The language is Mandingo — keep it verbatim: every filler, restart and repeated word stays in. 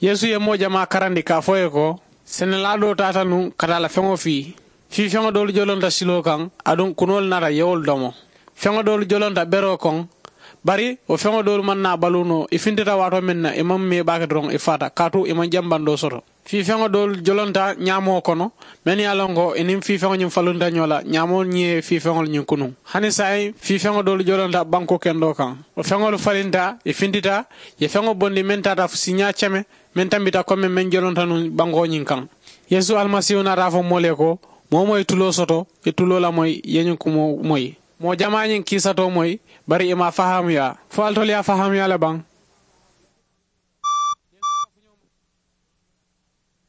Yeesu ye moo jamaa karandi ka a fo ì ye ko, senelaa doo taata nuŋ ka taa la feŋo fii. Fiifeŋo doolu jolonta siloo kaŋ, aduŋ kunoolu naata yewolu domo. Feŋo doolu jolonta beroo koŋ, bari wo feŋo doolu maŋ naa baluu noo. Ì fintita waatoo meŋ na, ì maŋ mee baake doroŋ, ì faata kaatu ì maŋ jambandoo soto. Fiifeŋo doolu jolonta ñaamoo kono, mennu ye a loŋ ko ì niŋ fiifeŋo ñiŋ falunta ñoo la, ñaamoo ñiŋ ye fiifeŋolu ñiŋ kunuŋ. Hani saayiŋ fiifeŋo doolu jolonta bankoo kendoo kaŋ. Wo feŋolu falinta, ì fintita, ì ye feŋo bondi meŋ taata siiñaa ceme, meŋ tambita komi meŋ jolonta nuŋ bankoo ñiŋ kaŋ. Yeesu alimasiihu naata a fo moolu ye ko, moo wo moo ye tuloo soto, ì tuloo la moyi, ì ye ñiŋ kumoo moyi. Moo jamaa ñiŋ kiisatoo moyi, bari ì maŋ a fahaamuyaa. Fo alitolu ye a fahaamuyaa le baŋ?